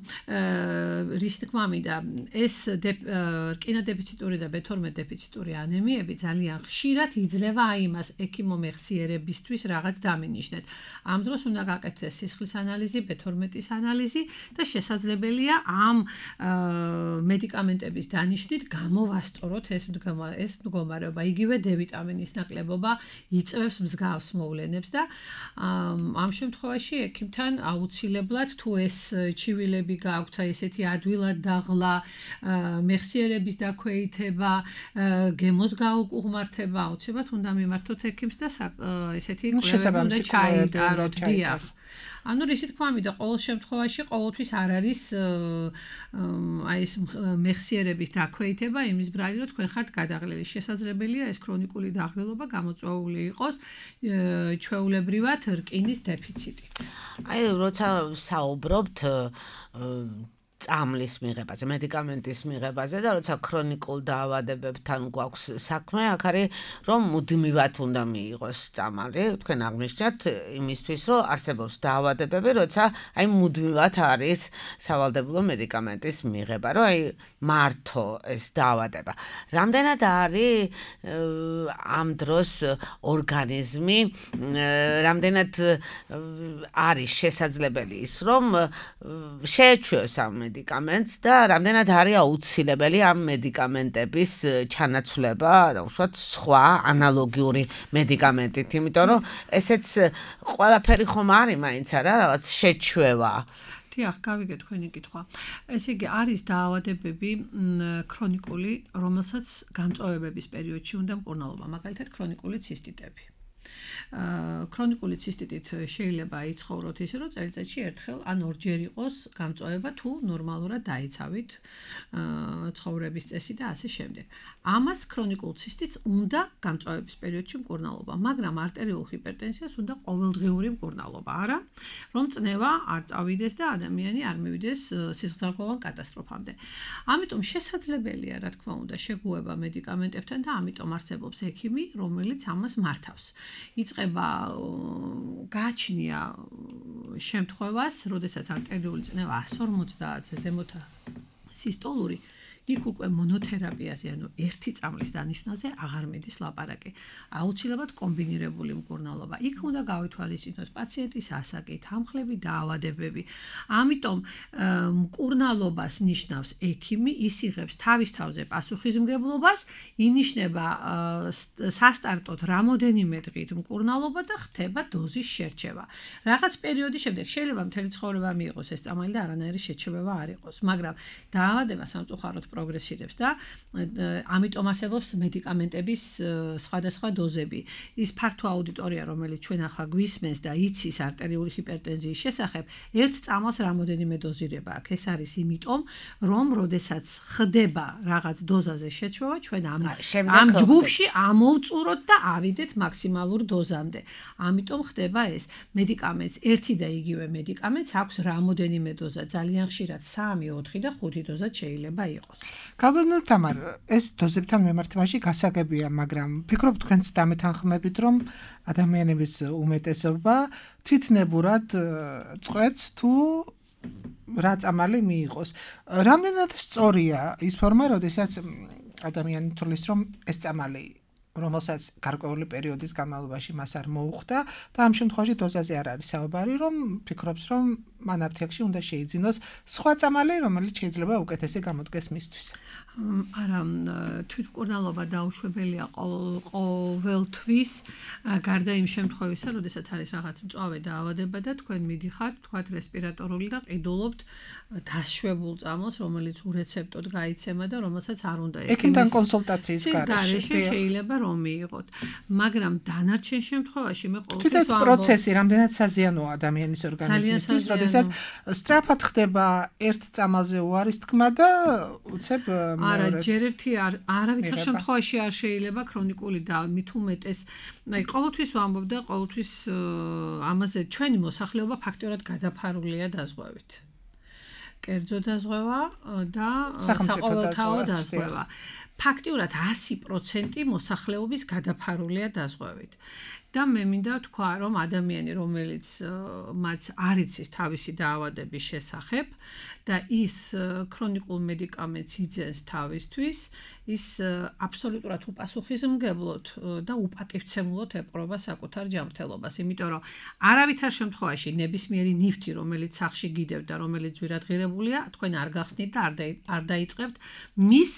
D: რის თქმა მინდა, ეს რკინა-დეფიციტური და ბე თორმეტ დეფიციტური ანემიები ძალიან ხშირად იძლევა აი იმას ექიმომეხსიერებისთვის რაღაც დამინიშნეთ. ამ დროს უნდა გაკეთდეს სისხლის ანალიზი, ბე თორმეტის ანალიზი და შესაძლებელია ამ მედიკამენტების დანიშვნით გამოვასწოროთ ეს ეს მდგომარეობა. იგივე დე ვიტამინის ნაკლებობა იწვევს მსგავს მოვლენებს და ამ შემთხვევაში ექიმთან აუცილებლად თუ ეს ჩივილები გააქვთ, ესეთი ადვილად დაღლა, მეხსიერების დაქვეითება, გემოს გაუყუღმართება, აუცილებლად უნდა მიმართოთ ექიმს და ესეთი კვლევები უნდა ჩაიტაროთ. დიახ. ანუ რისი თქმა მინდა, ყოველ შემთხვევაში ყოველთვის არ არის აი ეს მეხსიერების დაქვეითება იმის ბრალი, რომ თქვენ ხართ გადაღლილი. შესაძლებელია ეს ქრონიკული დაღვილობა გამოწვეული იყოს ჩვეულებრივად რკინის დეფიციტით.
B: აი როცა საუბრობთ წამლის მიღებაზე, მედიკამენტის მიღებაზე და როცა ქრონიკულ დაავადებებთან გვაქვს საქმე, აქ არის რომ მუდმივად უნდა მიიღოს წამალი. თქვენ აღნიშნეთ იმისთვის, რომ არსებობს დაავადებები, როცა აი მუდმივად არის სავალდებულო მედიკამენტის მიღება, რომ აი მართო ეს დაავადება. რამდენად არის ამ დროს ორგანიზმი, რამდენად არის შესაძლებელი ის, რომ შეეჩვიოს ამ მედიკამენტს და რამდენად არის აუცილებელი ამ მედიკამენტების ჩანაცვლება და უშუალოდ სხვა ანალოგიური მედიკამენტით, იმიტომ რომ ესეც ყველაფერი ხომ არის მაინც არა რაღაც შეჩვევა.
D: დიახ, გავიგე თქვენი კითხვა. ესე იგი არის დაავადებები ქრონიკული, რომელსაც გამწვავებების პერიოდში უნდა მკურნალობა, მაგალითად ქრონიკული ცისტიტები. ქრონიკული ცისტიტით შეიძლება იცხოვროთ ისე, რომ წელიწადში ერთხელ ან ორჯერ იყოს გამწვავება თუ ნორმალურად დაიცავით ცხოვრების წესი და ასე შემდეგ. ამას ქრონიკულ ცისტიტს უნდა გამწვავების პერიოდში მკურნალობა, მაგრამ არტერიულ ჰიპერტენზიას უნდა ყოველდღიური მკურნალობა, არა, რომ წნევა არ წავიდეს და ადამიანი არ მივიდეს სისხლძარღვოვან კატასტროფამდე. ამიტომ შესაძლებელია, რა თქმა უნდა, შეგუება მედიკამენტებთან და ამიტომ არსებობს ექიმი, რომელიც ამას მართავს. იწყება გააჩნია შემთხვევას, როდესაც არტერიული წნევა εκατს ორმოცდაათზე ზემოთა სისტოლური, იქ უკვე მონოთერაპიაზე, ანუ ერთი წამლის დანიშნულზე აღარ მიდის ლაპარაკი. აუცილებლად კომბინირებული მკურნალობა. იქ უნდა გავითვალისწინოთ პაციენტის ასაკი, თანხლები, დაავადებები. ამიტომ მკურნალობას ნიშნავს ექიმი, ის იღებს თავის თავზე პასუხისმგებლობას, ინიშნება სასტარტოდ რამოდენიმე დღით მკურნალობა და ხდება დოზის შერჩევა. რაღაც პერიოდის შემდეგ შეიძლება მთელი ცხოვრება მიიღოს ეს წამალი და არანაირი შეჩერება არ იყოს, მაგრამ დაავადება სამწუხაროდ პროგრესირებს და ამიტომ არსებობს მედიკამენტების სხვადასხვა დოზები. ის ფართო აუდიტორია, რომელიც ჩვენ ახლა გვისმენს და იცის არტერიული ჰიპერტენზიის შესახებ, ერთ წამალს რამოდენიმე დოზირება აქვს. ეს არის იმიტომ, რომ როდესაც ხდება რაღაც დოზაზე შეჩვევა, ჩვენ ამ ამ ჯგუფში ამოვწუროთ და ავიდეთ მაქსიმალურ დოზამდე. ამიტომ ხდება ეს. მედიკამენტს ერთი და იგივე მედიკამენტს აქვს რამოდენიმე დოზა, ძალიან ხშირად სამი, ოთხი და ხუთი დოზა შეიძლება იყოს.
C: გალბანო თამარ, ეს დოზებთან მიმართებაში გასაგებია, მაგრამ ფიქრობ თქვენც დამეთანხმებით, რომ ადამიანების უმეტესობა თვითნებურად წყვეტს თუ რა წამალი მიიღოს. რამდენად სწორია ის ფორმა, როდესაც ადამიანი თulis, რომ ეს წამალი რომელსაც გარკვეული პერიოდის განმავლობაში მას არ მოუხდა და ამ შემთხვევაში დოზაზე არ არის საუბარი, რომ ფიქრობს, რომ მან აფთიაქში უნდა შეიძინოს სხვა წამალი, რომელიც შეიძლება უკეთესი გამოდგეს მისთვის.
D: არა, თვითმკურნალობა დაუშვებელია ყოველთვის, გარდა იმ შემთხვევისა, როდესაც არის რაღაც მწვავე დაავადება და თქვენ მიდიხართ, თქვათ რესპირატორული და ყიდულობთ დაშვებულ წამალს, რომელიც ურეცეპტოდ გაიცემა და რომელსაც არ უნდა
C: ექიმთან კონსულტაციის
D: გარეშე შეიძლება რომ მიიღოთ. მაგრამ დანარჩენ შემთხვევაში მე ყოველთვის
C: თვითონ პროცესი რამდენად საზიანოა ადამიანის ორგანიზმისთვის, როდესაც სწრაფად ხდება ერთ წამალზე უარის თქმა და უცებ
D: არა, ჯერ ერთი არავითარ შემთხვევაში არ შეიძლება ქრონიკული და მით უმეტეს, აი ყოველთვის ვამბობ და ყოველთვის ამაზე ჩვენი მოსახლეობა ფაქტიურად გადაფარულია დაზღვევით. კერძო დაზღვევა და საყოველთაო დაზღვევა. ფაქტიურად ასი პროცენტი მოსახლეობის გადაფარულია დაზღვევით. და მე მინდა ვთქვა, რომ ადამიანი, რომელიც მათ არ იცის თავისი დაავადების შესახებ და ის ქრონიკულ მედიკამენტს იძენს თავისთვის, ის აბსოლუტურად უპასუხისმგებლოდ და უპატივცემულოდ ეპყრობა საკუთარ ჯანმრთელობას, იმიტომ რომ არავითარ შემთხვევაში ნებისმიერი ნივთი, რომელიც სახში გიდევთ და რომელიც ძვირადღირებულია, თქვენ არ გახსნით და არ დაიწყებთ მის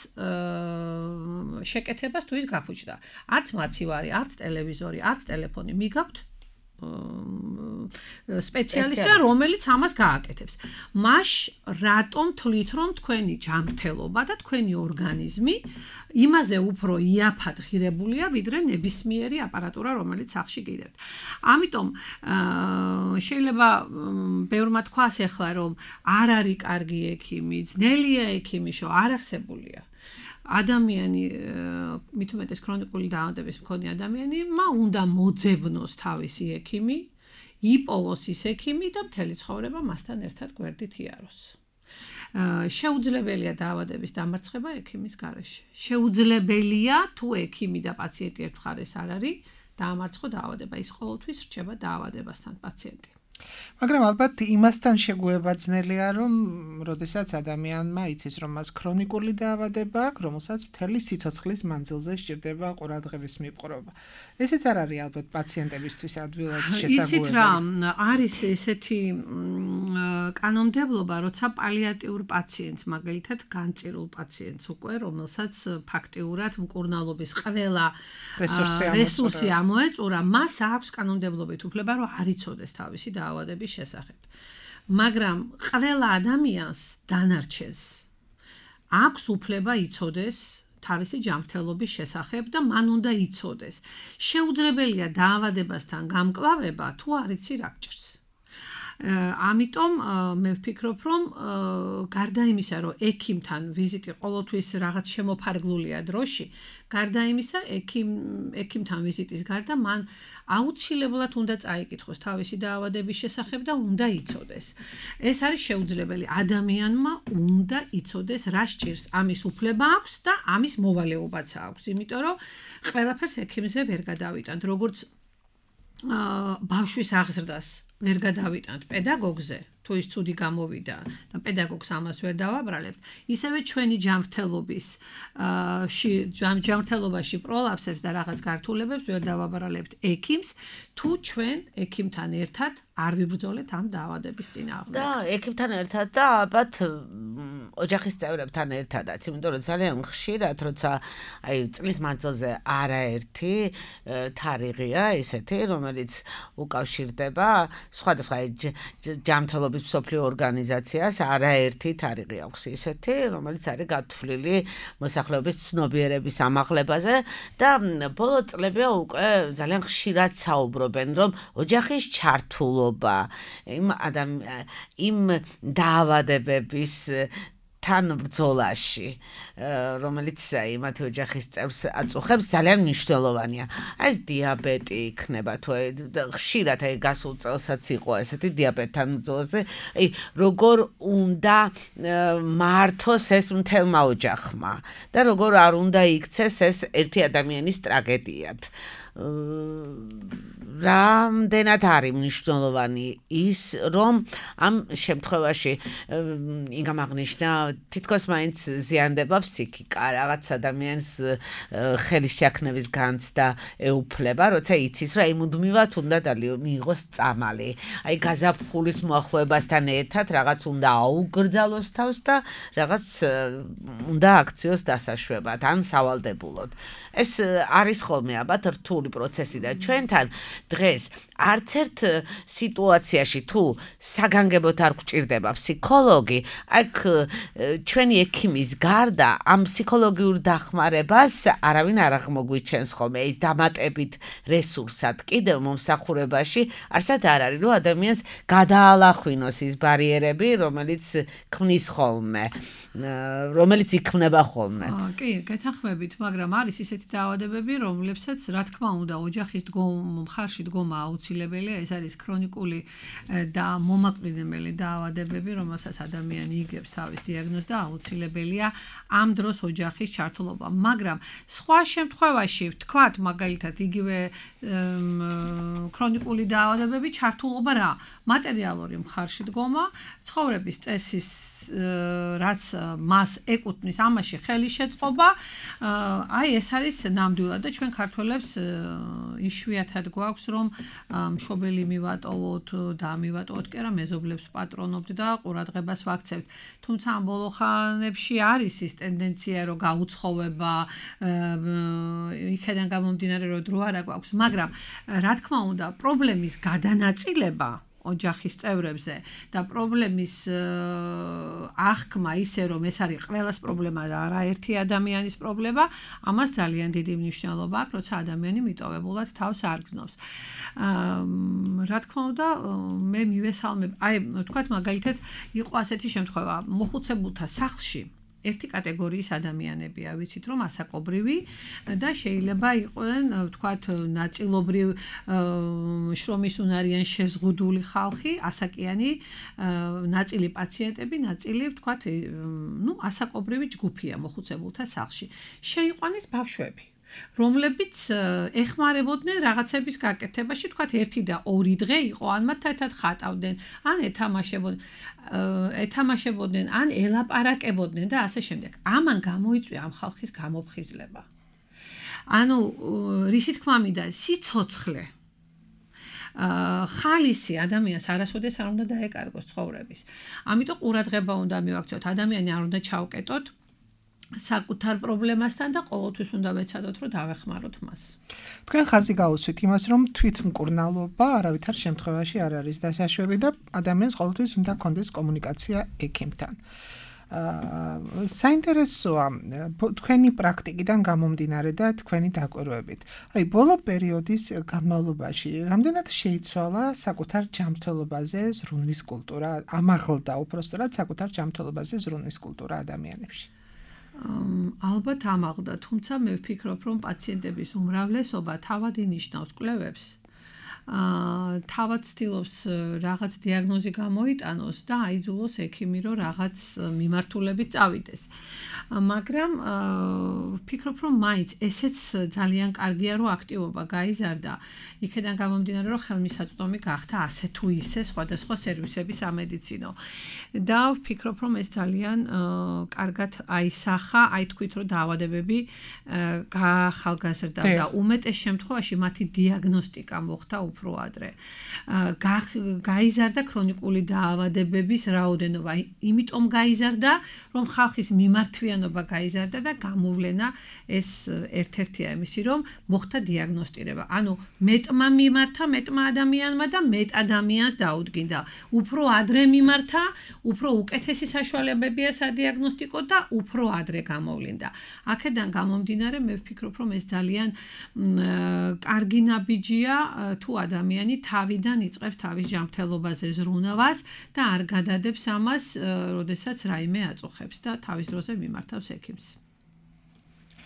D: შეკეთებას თუ ის გაფუჭდა. არც მაცივარი, არც ტელევიზორი, არც ტელეფონი მიგაქვთ სპეციალისტი, რომელიც ამას გააკეთებს. მაშ რატომ თვლით, რომ თქვენი ჯანმრთელობა და თქვენი ორგანიზმი იმაზე უფრო იაფად ღირებულია, ვიდრე ნებისმიერი აპარატურა, რომელიც სახში გიდევთ. ამიტომ შეიძლება ბევრმა თქვას ახლა, რომ არ არის კარგი ექიმი, ძნელია ექიმი, შო არ არსებულია. ადამიანი, მით უმეტეს ქრონიკული დაავადების მქონე ადამიანი, მა უნდა მოძებნოს თავისი ექიმი, იპოვოს ის ექიმი და მთელი ცხოვრება მასთან ერთად გვერდით იაროს. შეუძლებელია დაავადების დამარცხება ექიმის გარეშე. შეუძლებელია თუ ექიმი და პაციენტი ერთ მხარეს არ არის, დაამარცხო დაავადება, ის ყოველთვის რჩება დაავადებასთან პაციენტი.
C: მაგრამ ალბათ იმასთან შეგუება ძნელია, რომ როდესაც ადამიანმა იცის, რომ მას ქრონიკული დაავადება აქვს, რომელსაც მთელი სიცოცხლის მანძილზე სჭირდება ყურადღების მიპყრობა. ესეც არ არის ალბათ პაციენტებისთვის ადვილად შესაძლებელი.
D: იცით რა, არის ესეთი კანონმდებლობა, როცა პალიატიურ პაციენტს, მაგალითად განწირულ პაციენტს უკვე, რომელსაც ფაქტიურად მკურნალობის ყველა რესურსი ამოეწურა, მას აქვს კანონმდებლობით უფლება, რომ არ იცოდეს თავისი დაავადების შესახებ. მაგრამ ყველა ადამიანს დანარჩენს აქვს უფლება იცოდეს თავისი ჯანმრთელობის შესახებ და მან უნდა იცოდეს. შეუძლებელია დაავადებასთან გამკლავება, თუ არ იცი რა გჭირს. ამიტომ მე ვფიქრობ, რომ გარდა იმისა, რომ ექიმთან ვიზიტი ყოველთვის რაღაც შემოფარგლულია დროში, გარდა იმისა, ექიმ ექიმთან ვიზიტის გარდა მან აუცილებლად უნდა წაიკითხოს თავისი დაავადების შესახებ და უნდა იცოდეს. ეს არის შეუძლებელი. ადამიანმა უნდა იცოდეს რა სჭირს, ამის უფლება აქვს და ამის მოვალეობაც აქვს, იმიტომ რომ ყველაფერს ექიმზე ვერ გადავიტანთ, როგორც ბავშვის აღზრდას ვერ გადავიტანთ პედაგოგზე, თუ ის ცუდი გამოვიდა და პედაგოგს ამას ვერ დავაბრალებთ, ისევე ჩვენი ჯანმრთელობის ჯანმრთელობაში პროლაფსებს და რაღაც გართულებებს ვერ დავაბრალებთ ექიმს, თუ ჩვენ ექიმთან ერთად არ ვიბრძოლეთ ამ დაავადების წინააღმდეგ.
B: და ექიმთან ერთად და ალბათ ოჯახის წევრებთან ერთადაც, იმიტომ რომ ძალიან ხშირად, როცა აი წლის მანძილზე არაერთი თარიღია ისეთი, რომელიც უკავშირდება სხვადასხვა ჯანმრთელობის მსოფლიო ორგანიზაციას არაერთი თარიღი აქვს ისეთი, რომელიც არის გათვლილი მოსახლეობის ცნობიერების ამაღლებაზე და ბოლო წლებია უკვე ძალიან ხშირად საუბრობენ, რომ ოჯახის ჩართულობა იმ ადამ იმ დაავადებების თან ბრძოლაში, რომელიც იმათი ოჯახის წევრს აწუხებს, ძალიან მნიშვნელოვანია. აი დიაბეტი იქნება თუ ხშირად აი გასულ წელსაც იყო ესეთი დიაბეტთან ბრძოლაზე, აი როგორ უნდა მართოს ეს მთელმა ოჯახმა და როგორ არ უნდა იქცეს ეს ერთი ადამიანის ტრაგედიად. რამდენად არის მნიშვნელოვანი ის, რომ ამ შემთხვევაში იგამ აღნიშნა, თითქოს მაინც ზიანდება ფსიქიკა, რაღაც ადამიანს ხელის შექმნების განცდა ეუფლება, როცა იცის, რომ აი მუდმივად უნდა მიიღოს წამალი. აი გაზაფხულის მოახლოებასთან ერთად რაღაც უნდა აუგრძალოს თავს და რაღაც უნდა აქციოს დასაშვებად, ან სავალდებულოდ. ეს არის ხოლმე ალბათ რთული პროცესი და ჩვენთან დღეს არც ერთ სიტუაციაში თუ საგანგებოდ არ გვჭირდება ფსიქოლოგი, აქ ჩვენი ექიმის გარდა ამ ფსიქოლოგიურ დახმარებას არავინ არ აღმოგვიჩენს ხოლმე, ის დამატებით რესურსად კიდევ მომსახურებაში არსად არ არის, რომ ადამიანს გადაალახვინოს ის ბარიერები, რომელიც ქმნის ხოლმე, რომელიც იქმნება ხოლმე.
D: კი, გეთანხმებით, მაგრამ არის ისეთი დაავადებები, რომლებსაც რა თქმა უნდა ოჯახის მხარში დგომა აუცილებელია, ეს არის ქრონიკული და მომაკვდინებელი დაავადებები, რომელსაც ადამიანი იგებს თავის დიაგნოზს და აუცილებელია ამ დროს ოჯახის ჩართულობა. მაგრამ სხვა შემთხვევაში, ვთქვათ, მაგალითად, იგივე ქრონიკული დაავადებები ჩართულობა რა? მატერიალური მხარში დგომა, ცხოვრების წესის რაც მას ეკუთვნის, ამაში ხელის შეწყობა, აი ეს არის ნამდვილად და ჩვენ ქართველებს იშვიათად გვაქვს, რომ მშობელი მივატოვოთ და მივატოვოთ კი არა, მეზობლებს პატრონობთ და ყურადღებას ვაქცევთ. თუმცა ამ ბოლო ხანებში არის ის ტენდენცია, რომ გაუცხოვება, იქიდან გამომდინარე, რომ დრო არ გვაქვს, მაგრამ რა თქმა უნდა, პრობლემის გადანაწილება ოჯახის წევრებზე და პრობლემის აღქმა ისე, რომ ეს არის ყველას პრობლემა და არაერთი ადამიანის პრობლემა, ამას ძალიან დიდი მნიშვნელობა აქვს, როცა ადამიანი მიტოვებულად თავს არ გრძნობს. რა თქმა უნდა, მე მივესალმებ, აი, ვთქვათ, მაგალითად, იყო ასეთი შემთხვევა, მოხუცებულთა სახლში ერთი კატეგორიის ადამიანებია, ვიცით რომ ასაკობრივი და შეიძლება იყვნენ, ვთქვათ, ნაწილობრივ შრომის უნარიან შეზღუდული ხალხი, ასაკიანი, ნაწილი პაციენტები, ნაწილი, ვთქვათ, ну, ასაკობრივი ჯგუფია მოხუცებულთა სახლში. შეიყვანეს ბავშვები, რომლებიც ეხმარებოდნენ რაღაცების გაკეთებაში, თქვათ ერთი და ორი დღე იყო, ან მათ ერთად ხატავდნენ, ან ეთამაშებოდნენ, ეთამაშებოდნენ, ან ელაპარაკებოდნენ და ასე შემდეგ. ამან გამოიწვია ამ ხალხის გამოფხიზლება. ანუ რისი თქმა მინდა, სიცოცხლე ხალისი ადამიანს არასოდეს არ უნდა დაეკარგოს ცხოვრების. ამიტომ ყურადღება უნდა მივაქცევთ, ადამიანი არ უნდა ჩავკეტოთ საკუთარ პრობლემასთან და ყოველთვის უნდა ვეცადოთ, რომ დავეხმაროთ მას.
C: თქვენ ხაზი გაუსვით იმას, რომ თვითმკურნალობა არავითარ შემთხვევაში არ არის დასაშვები და ადამიანს ყოველთვის უნდა კონდეს კომუნიკაცია ექიმთან. საინტერესოა თქვენი პრაქტიკიდან გამომდინარე და თქვენი დაკვირვებით. აი, ბოლო პერიოდის განმავლობაში რამდენად შეიცვალა საკუთარ ჯანმრთელობაზე ზრუნვის კულტურა, ამაღლდა უпростоრად საკუთარ ჯანმრთელობაზე ზრუნვის კულტურა ადამიანებში?
D: ალბათ ამაღლდა, თუმცა მე ვფიქრობ, რომ პაციენტების უმრავლესობა თავად ინიშნავს კვლევებს. აა თავად ცდილობს რაღაც დიაგნოზი გამოიტანოს და აიძულოს ექიმი რომ რაღაც მიმართულებით წავიდეს. მაგრამ ვფიქრობ რომ მაინც ესეც ძალიან კარგია რომ აქტივობა გაიზარდა. იქედან გამომდინარე რომ ხელმისაწვდომი გახდა ასე თუ ისე სხვადასხვა სერვისები სამედიცინო. და ვფიქრობ რომ ეს ძალიან კარგად აისახა, აი თქვით რომ დაავადებები გაახალგაზრდა და უმეტეს შემთხვევაში მათი დიაგნოსტიკა მოხდა უფრო ადრე. გაიზარდა ქრონიკული დაავადებების რაოდენობა, იმიტომ გაიზარდა, რომ ხალხის მიმართვიანობა გაიზარდა და გამოვლენა ეს ერთ-ერთია იმისი, რომ მოხდა დიაგნოსტირება. ანუ მეტმა მიმართა მეტმა ადამიანმა და მეტ ადამიანს დაუდგინდა. უფრო ადრე მიმართა, უფრო უკეთესი საშუალებებია სადიაგნოსტიკო და უფრო ადრე გამოვლინდა. აქედან გამომდინარე, მე ვფიქრობ, რომ ეს ძალიან კარგი ნაბიჯია თუ ადამიანი თავიდან იწყებს თავის ჯანმრთელობაზე ზრუნვას და არ გადადებს ამას, როდესაც რაიმე აწუხებს და თავის დროზე მიმართავს ექიმს.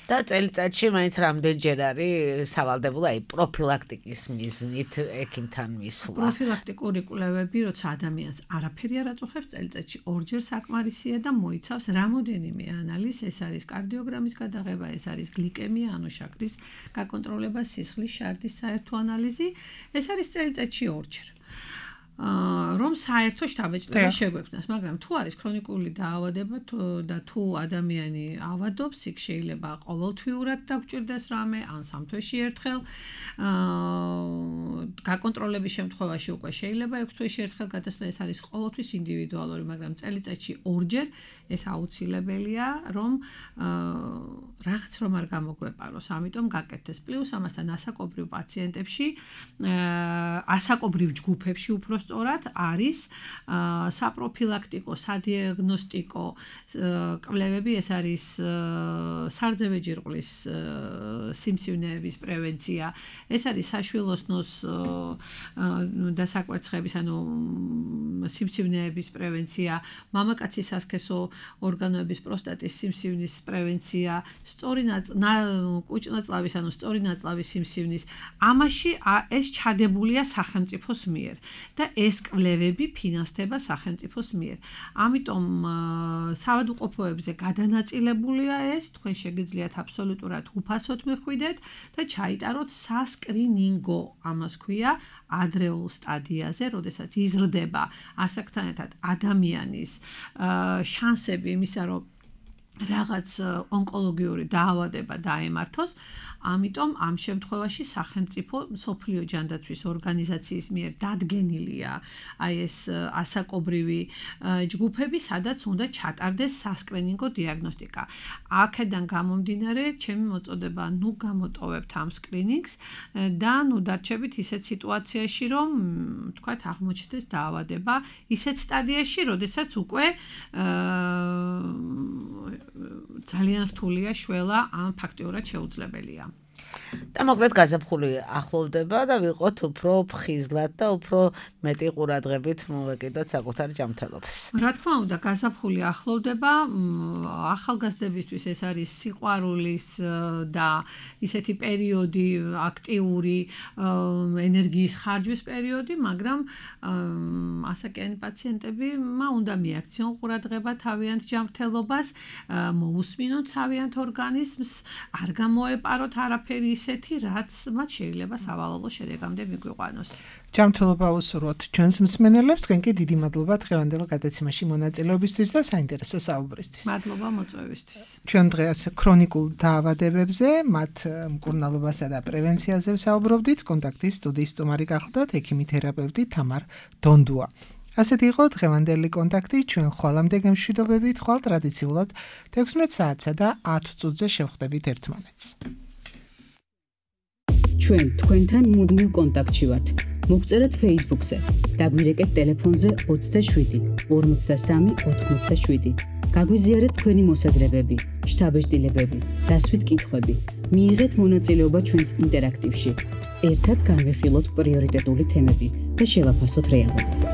B: და წელიწადში მაინც რამდენჯერ არის სავალდებულო აი პროფილაქტიკის მიზნით ექიმთან მისვლა.
D: პროფილაქტიკური კვლევები, როცა ადამიანს არაფერი არ აწუხებს, წელიწადში ორჯერ საკმარისია და მოიცავს რამოდენიმე ანალიზს, ეს არის კარდიოგრამის გადაღება, ეს არის გლიკემია, ანუ შაქრის გაკონტროლება, სისხლის შარდის საერთო ანალიზი, ეს არის წელიწადში ორჯერ. რომ საერთო შთაბეჭდება შეგვექმნას, მაგრამ თუ არის ქრონიკული დაავადება და თუ ადამიანი ავადობს, იქ შეიძლება ყოველთვიურად დაგჭირდეს რამე, ან სამთვეში ერთხელ. გაკონტროლების შემთხვევაში უკვე შეიძლება ექვს თვეში ერთხელ გადასვლა, ეს არის ყოველთვის ინდივიდუალური, მაგრამ წელიწადში ორჯერ ეს აუცილებელია, რომ რაღაც რომ არ გამოგვეპაროს, ამიტომ გაკეთდეს. პლუს ამასთან ასაკობრივ პაციენტებში, ასაკობრივ ჯგუფებში უფრო სწორად არის საპროფილაქტიკო, სადიაგნოსტიკო კვლევები, ეს არის სარძევე ჯირკვლის სიმსივნეების პრევენცია, ეს არის საშვილოსნოს დასაკვერცხების, ანუ სიმსივნეების პრევენცია, მამაკაცის სასქესო ორგანოების პროსტატის სიმსივნის პრევენცია, სწორი კუჭნაწლავის, ანუ სწორი ნაწლავის სიმსივნის. ამაში ეს ჩადებულია სახელმწიფოს მიერ და ეს კვლევები ფინანსდება სახელმწიფოს მიერ. ამიტომ საავადმყოფოებზე გადანაწილებულია ეს, თქვენ შეგიძლიათ აბსოლუტურად უფასოდ მიხვიდეთ და ჩაიტაროთ სასკრინინგო, ამას ქვია, ადრეულ სტადიაზე, როდესაც იზრდება ასაკთან ერთად ადამიანის შანსები იმისა, რომ რაღაც ონკოლოგიური დაავადება დაემართოს, ამიტომ ამ შემთხვევაში სახელმწიფო მსოფლიო ჯანდაცვის ორგანიზაციის მიერ დადგენილია აი ეს ასაკობრივი ჯგუფები, სადაც უნდა ჩატარდეს სასკრინინგო დიაგნოსტიკა. აქედან გამომდინარე, ჩემი მოწოდება, ნუ გამოტოვებთ ამ სკრინინგს და ნუ დარჩებით ისეთ სიტუაციაში, რომ თქვათ აღმოჩნდეს დაავადება ისეთ სტადიაში, როდესაც უკვე ძალიან რთულია შველა ან ფაქტიურად შეუძლებელია.
B: და მოკლედ გაზაფხული ახლოვდება და ვიყოთ უფრო ფხიზლად და უფრო მეტი ყურადღებით მოვეკიდოთ საკუთარ ჯანმრთელობას.
D: რა თქმა უნდა, გაზაფხული ახლოვდება, ახალგაზრდებისთვის ეს არის სიყვარულის და ისეთი პერიოდი, აქტიური ენერგიის ხარჯვის პერიოდი, მაგრამ ასაკიანი პაციენტები მა უნდა მიაქციონ ყურადღება თავიანთ ჯანმრთელობას, მოусმინოთ თავიანთ ორგანიზმს, არ გამოეპაროთ არაფერი ისეთი, რაც მათ შეიძლება სავალალო შედეგამდე მიგვიყვანოს.
C: ჯანმრთელობა უსურვოთ ჩვენს მსმენელებს, თქვენ კი დიდი მადლობა დღევანდელ გადაცემაში მონაწილეობისთვის და საინტერესო საუბრისთვის.
D: მადლობა მოწვევისთვის.
C: ჩვენ დღეს ქრონიკულ დაავადებებზე, მათ მკურნალობასა და პრევენციაზე ვსაუბრობდით. კონტაქტის სტუდიის სტუმარი გახლდათ ექიმი თერაპევტი თამარ დონდუა. ასეთი იყო დღევანდელი კონტაქტი, ჩვენ ხვალამდე გემშვიდობებით, ხვალ ტრადიციულად თექვსმეტ საათსა და ათ წუთზე შევხვდებით ერთმანეთს.
A: ჩვენ თქვენთან მუდმივ კონტაქტში ვართ. მოგწერეთ Facebook-ზე, დაგვირეკეთ ტელეფონზე ოცდაშვიდი ორმოცდასამი ოთხმოცდაშვიდი. გაგვიზიარეთ თქვენი მოსაზრებები, შთაბეჭდილებები, დასვით კითხვები. მიიღეთ მონაწილეობა ჩვენს ინტერაქტივში. ერთად განვიხილოთ პრიორიტეტული თემები და შევაფასოთ რეალობა.